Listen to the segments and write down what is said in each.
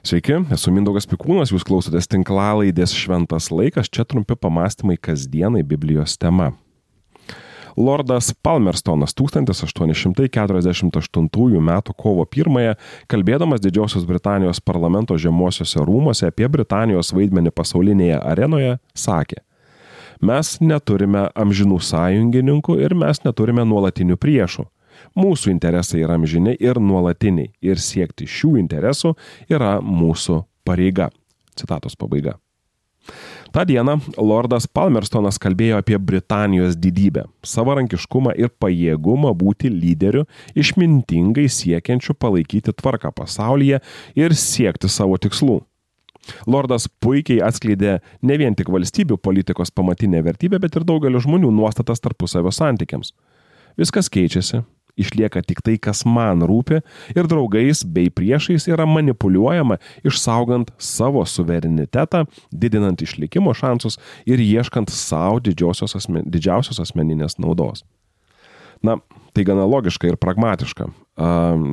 Sveiki, esu Mindaugas Pikūnas, jūs klausotės tinklalaidės Šventas laikas, čia trumpi pamastymai kasdienai Biblijos tema. Lordas Palmerstonas 1848 m. kovo 1, kalbėdamas Didžiosios Britanijos parlamento žemuosiuose rūmuose apie Britanijos vaidmenį pasaulinėje arenoje, sakė: Mes neturime amžinų sąjungininkų ir mes neturime nuolatinių priešų. Mūsų interesai yra amžini ir nuolatiniai ir siekti šių interesų yra mūsų pareiga. Citatos pabaiga. Ta diena Lordas Palmerstonas kalbėjo apie Britanijos didybę, savarankiškumą ir pajėgumą būti lyderiu, išmintingai siekiančiu palaikyti tvarką pasaulyje ir siekti savo tikslų. Lordas puikiai atskleidė ne vien tik valstybių politikos pamatinę vertybę, bet ir daugelio žmonių nuostatas tarpusavio santykiams. Viskas keičiasi. Išlieka tik tai, kas man rūpi, ir draugais bei priešais yra manipuliuojama, išsaugant savo suverenitetą, didinant išlikimo šansus ir ieškant savo didžiausios asmeninės naudos. Na, tai gana logiška ir pragmatiška.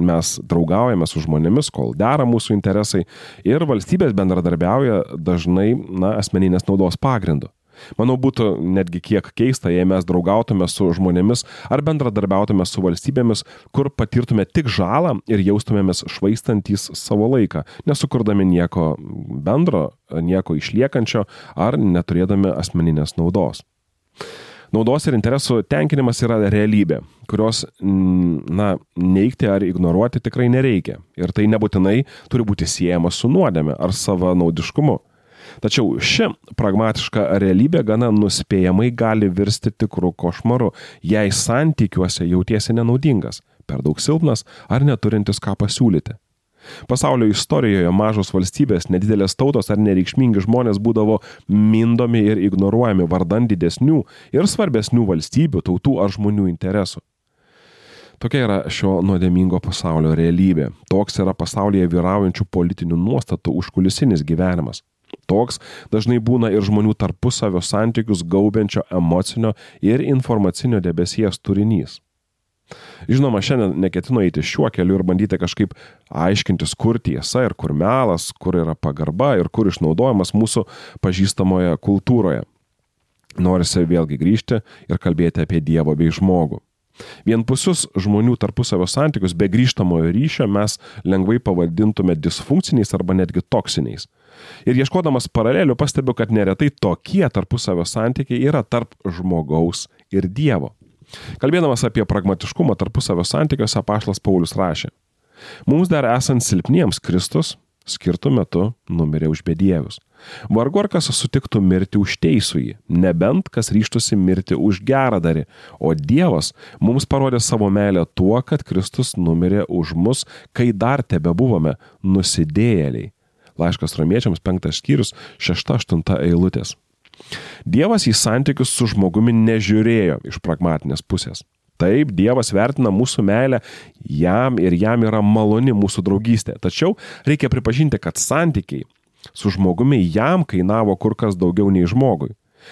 Mes draugaujame su žmonėmis, kol dera mūsų interesai, ir valstybės bendradarbiauja dažnai asmeninės naudos pagrindu. Manau, būtų netgi kiek keista, jei mes draugautume su žmonėmis ar bendradarbiautume su valstybėmis, kur patirtume tik žalą ir jaustumėmės švaistantys savo laiką, nesukurdami nieko bendro, nieko išliekančio ar neturėdami asmeninės naudos. Naudos ir interesų tenkinimas yra realybė, kurios neigti ar ignoruoti tikrai nereikia. Ir tai nebūtinai turi būti siejama su nuodėme ar savanaudiškumu. Tačiau ši pragmatiška realybė gana nuspėjamai gali virsti tikrų košmaru, jei santykiuose jautiesi nenaudingas, per daug silpnas ar neturintis ką pasiūlyti. Pasaulio istorijoje mažos valstybės, nedidelės tautos ar nereikšmingi žmonės būdavo mindomi ir ignoruojami vardan didesnių ir svarbesnių valstybių, tautų ar žmonių interesų. Tokia yra šio nuodėmingo pasaulio realybė. Toks yra pasaulyje vyraujančių politinių nuostatų užkulisinis gyvenimas. Toks dažnai būna ir žmonių tarpusavio santykius gaubiančio emocinio ir informacinio debesies turinys. Žinoma, šiandien neketinu eiti šiuo keliu ir bandyti kažkaip aiškintis, kur tiesa ir kur melas, kur yra pagarba ir kur išnaudojimas mūsų pažįstamoje kultūroje. Norisi vėlgi grįžti ir kalbėti apie Dievą bei žmogų. Vienpusius žmonių tarpusavio santykius be grįžtamojo ryšio mes lengvai pavadintume disfunkciniais arba netgi toksiniais. Ir ieškodamas paralelių pastebiu, kad neretai tokie tarpusavio santykiai yra tarp žmogaus ir Dievo. Kalbėdamas apie pragmatiškumą tarpusavio santykiuose, apaštalas Paulius rašė: Mums dar esant silpniems Kristus skirtu metu numirė už bedievius. Vargu ar kas sutiktų mirti už teisųjį, nebent kas ryžtųsi mirti už geradarį, o Dievas mums parodė savo meilę tuo, kad Kristus numirė už mus, kai dar tebebuvome nusidėjėliai. Laiškas Romiečiams 5 skyrius 6-8 eilutės. Dievas į santykius su žmogumi nežiūrėjo iš pragmatinės pusės. Taip, Dievas vertina mūsų meilę jam ir jam yra maloni mūsų draugystė. Tačiau reikia pripažinti, kad santykiai su žmogumi jam kainavo kur kas daugiau nei žmogui.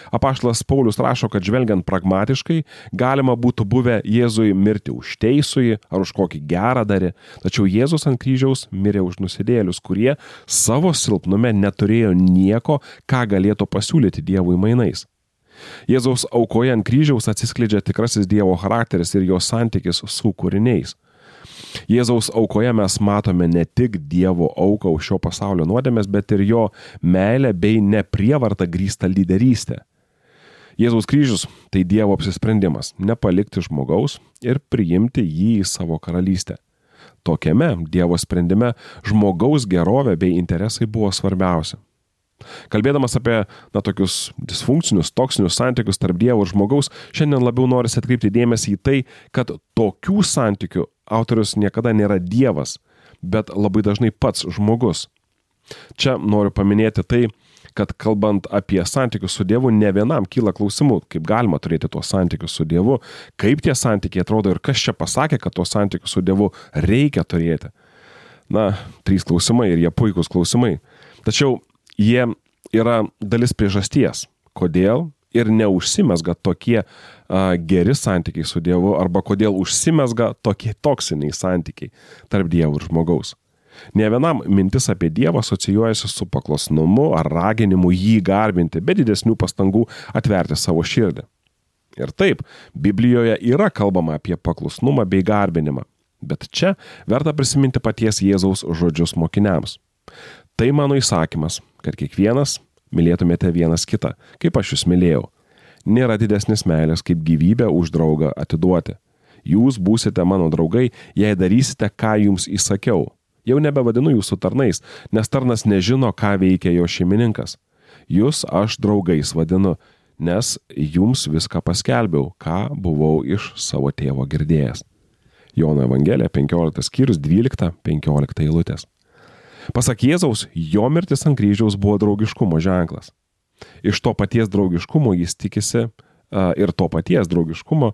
Apaštalas Paulius rašo, kad žvelgiant pragmatiškai galima būtų buvę Jėzui mirti už teisųjį ar už kokį geradarį, tačiau Jėzus ant kryžiaus mirė už nusidėjėlius, kurie savo silpnume neturėjo nieko, ką galėtų pasiūlyti Dievui mainais. Jėzaus aukoje ant kryžiaus atsiskleidžia tikrasis Dievo charakteris ir jo santykis su kūriniais. Jėzaus aukoje mes matome ne tik Dievo auką už šio pasaulio nuodėmes, bet ir jo meilę bei neprievartą grįstą lyderystę. Jėzaus kryžius tai Dievo apsisprendimas nepalikti žmogaus ir priimti jį į savo karalystę. Tokiame Dievo sprendime žmogaus gerovė bei interesai buvo svarbiausia. Kalbėdamas apie tokius disfunkcinius, toksinius santykius tarp Dievo ir žmogaus, šiandien labiau norisi atkreipti dėmesį į tai, kad tokių santykių autorius niekada nėra Dievas, bet labai dažnai pats žmogus. Čia noriu paminėti tai, kad kalbant apie santykius su Dievu, ne vienam kyla klausimų, kaip galima turėti tuos santykius su Dievu, kaip tie santykiai atrodo ir kas čia pasakė, kad tuos santykius su Dievu reikia turėti. 3 klausimai ir jie puikūs klausimai. Tačiau jie yra dalis priežasties, kodėl ir neužsimezga tokie geri santykiai su Dievu arba kodėl užsimezga tokie toksiniai santykiai tarp Dievo ir žmogaus. Ne vienam mintis apie Dievą asocijuojasi su paklusnumu ar raginimu jį garbinti, be didesnių pastangų atverti savo širdį. Ir taip, Biblijoje yra kalbama apie paklusnumą bei garbinimą, bet čia verta prisiminti paties Jėzaus žodžius mokiniams. Tai mano įsakymas, kad kiekvienas mylėtumėte vienas kitą, kaip aš jūs mylėjau. Nėra didesnės meilės, kaip gyvybę už draugą atiduoti. Jūs būsite mano draugai, jei darysite, ką jums įsakiau. Jau nebevadinu jūsų tarnais, nes tarnas nežino, ką veikia jo šeimininkas. Jūs aš draugais vadinu, nes jums viską paskelbiau, ką buvau iš savo tėvo girdėjęs. Jono Evangelija 15 skyrius 12-15 eilutės. Pasak Jėzaus, jo mirtis ant kryžiaus buvo draugiškumo ženklas. Iš to paties draugiškumo jis tikisi ir to paties draugiškumo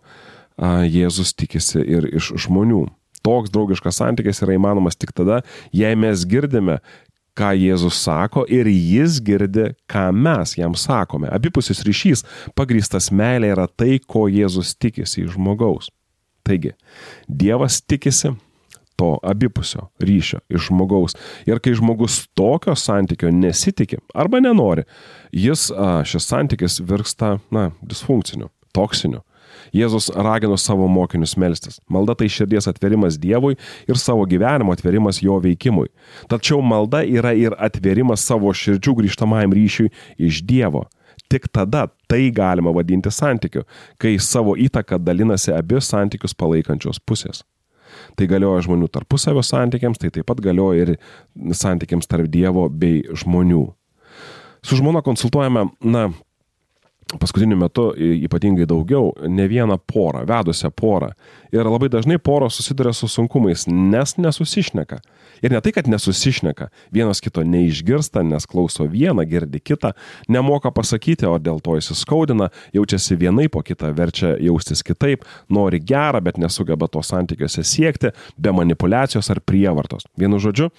Jėzus tikisi ir iš žmonių. Toks draugiškas santykis yra įmanomas tik tada, jei mes girdime, ką Jėzus sako ir jis girdi, ką mes jam sakome. Abipusis ryšys pagrįstas meilė yra tai, ko Jėzus tikisi iš žmogaus. Taigi, Dievas tikisi to abipusio ryšio iš žmogaus. Ir kai žmogus tokio santykio nesitiki arba nenori, šis santykis virsta, disfunkciniu, toksiniu. Jėzus ragino savo mokinius melstis. Malda tai širdies atverimas Dievui ir savo gyvenimo atverimas jo veikimui. Tačiau malda yra ir atverimas savo širdžių grįžtamajam ryšiui iš Dievo. Tik tada tai galima vadinti santykiu, kai savo įtaką dalinasi abi santykius palaikančios pusės. Tai galioja žmonių tarpusavio santykiams, tai taip pat galioja ir santykiams tarp Dievo bei žmonių. Su žmona konsultuojame, paskutiniu metu ypatingai daugiau, ne vieną porą, vedusią porą. Ir labai dažnai poros susiduria su sunkumais, nes nesusišneka. Ir ne tai, kad nesusišneka, vienas kito neišgirsta, nes klauso vieną, girdi kitą, nemoka pasakyti, o dėl to įsiskaudina, jaučiasi vienaip, o kitą verčia jaustis kitaip, nori gerą, bet nesugeba to santykiuose siekti, be manipulacijos ar prievartos. Vienu žodžiu,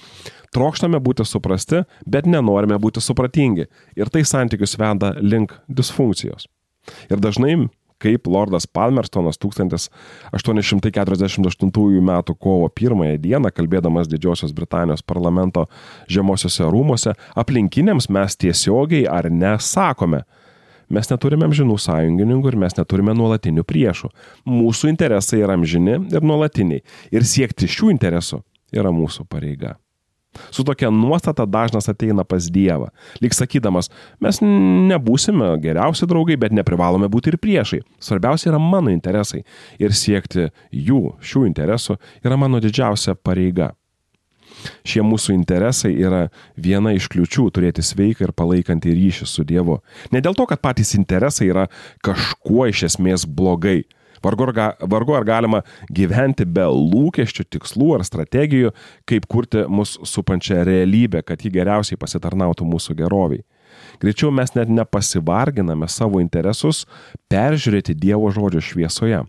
trokštame būti suprasti, bet nenorime būti supratingi. Ir tai santykius veda link disfunkcijos. Ir dažnai, kaip Lordas Palmerstonas 1848 m. kovo 1 dieną, kalbėdamas Didžiosios Britanijos parlamento žemosiuose rūmuose, aplinkiniams mes tiesiogiai ar nesakome. Mes neturime amžinų sąjungininkų ir mes neturime nuolatinių priešų. Mūsų interesai yra amžini ir nuolatiniai. Ir siekti šių interesų yra mūsų pareiga. Su tokia nuostata dažnas ateina pas Dievą, lyg sakydamas, mes nebūsime geriausi draugai, bet neprivalome būti ir priešai. Svarbiausia yra mano interesai ir siekti šių interesų yra mano didžiausia pareiga. Šie mūsų interesai yra viena iš kliūčių turėti sveiką ir palaikantį ryšį su Dievu. Ne dėl to, kad patys interesai yra kažkuo iš esmės blogai. Vargu ar galima gyventi be lūkesčių, tikslų ar strategijų, kaip kurti mus supančią realybę, kad ji geriausiai pasitarnautų mūsų geroviai. Greičiau mes net nepasivarginame savo interesus peržiūrėti Dievo žodžio šviesoje.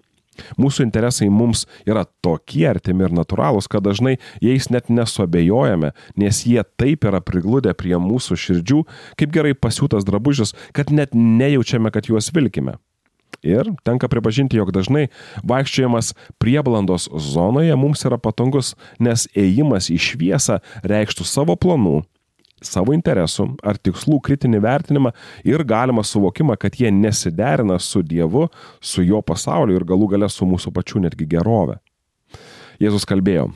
Mūsų interesai mums yra tokie artimi ir natūralūs, kad dažnai jais net nesuabejojame, nes jie taip yra prigludę prie mūsų širdžių, kaip gerai pasiūtas drabužis, kad net nejaučiame, kad juos vilkime. Ir tenka pripažinti, jog dažnai vaikščiojimas prieblandos zonoje mums yra patogus, nes ėjimas į šviesą reikštų savo planų, savo interesų ar tikslų kritinį vertinimą ir galimą suvokimą, kad jie nesiderina su Dievu, su jo pasauliu ir galų gale su mūsų pačių netgi gerove. Jėzus kalbėjo,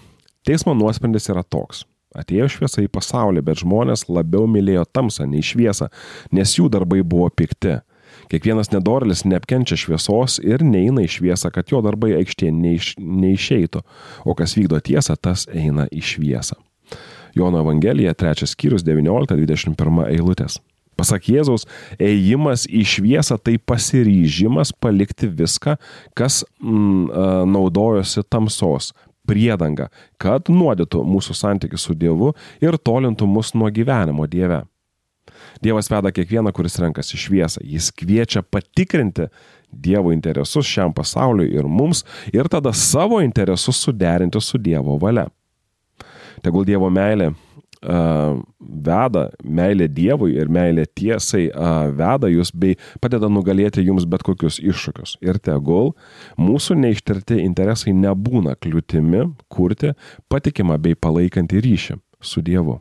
teismo nuosprendis yra toks. Atėjo šviesa į pasaulį, bet žmonės labiau mylėjo tamsą nei šviesą, nes jų darbai buvo pikti. Kiekvienas nedorėlis neapkenčia šviesos ir neina į šviesą, kad jo darbai aikštėn neišeitų, o kas vykdo tiesą, tas eina į šviesą. Jono Evangelija 3 skyrius 19-21 eilutės. Pasak Jėzaus, ėjimas į šviesą tai pasiryžimas palikti viską, kas naudojosi tamsos priedanga, kad nuodytų mūsų santykį su Dievu ir tolintų mus nuo gyvenimo Dieve. Dievas veda kiekvieną, kuris renkasi šviesą. Jis kviečia patikrinti Dievo interesus šiam pasauliui ir mums ir tada savo interesus suderinti su Dievo valia. Tegul Dievo meilė meilė Dievui ir meilė tiesai veda jūs bei padeda nugalėti jums bet kokius iššūkius. Ir tegul mūsų neištirti interesai nebūna kliūtimi kurti patikimą bei palaikantį ryšį. su Dievu.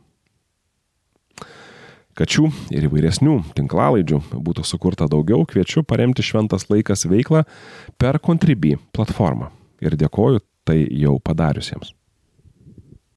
Kad šių ir įvairesnių tinklalaidžių būtų sukurta daugiau, kviečiu paremti Šventas laikas veiklą per Contribui platformą. Ir dėkoju tai jau padariusiems.